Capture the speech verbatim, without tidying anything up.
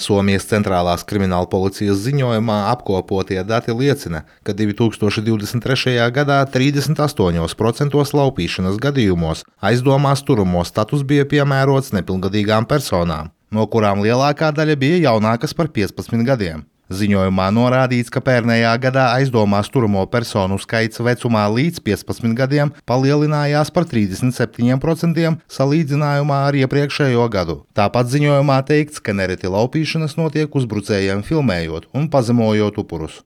Somijas centrālās krimināla policijas ziņojumā apkopotie dati liecina, ka divi tūkstoši divdesmit trešajā gadā trīsdesmit astoņos procentos laupīšanas gadījumos aizdomās turamo status bija piemērots nepilngadīgām personām, no kurām lielākā daļa bija jaunākas par piecpadsmit gadiem. Ziņojumā norādīts, ka pērnējā gadā aizdomās turamo personu skaits vecumā līdz piecpadsmit gadiem palielinājās par trīsdesmit septiņiem procentiem salīdzinājumā ar iepriekšējo gadu. Tāpat ziņojumā teikts, ka nereti laupīšanas notiek uzbrucējiem filmējot un pazemojot upurus.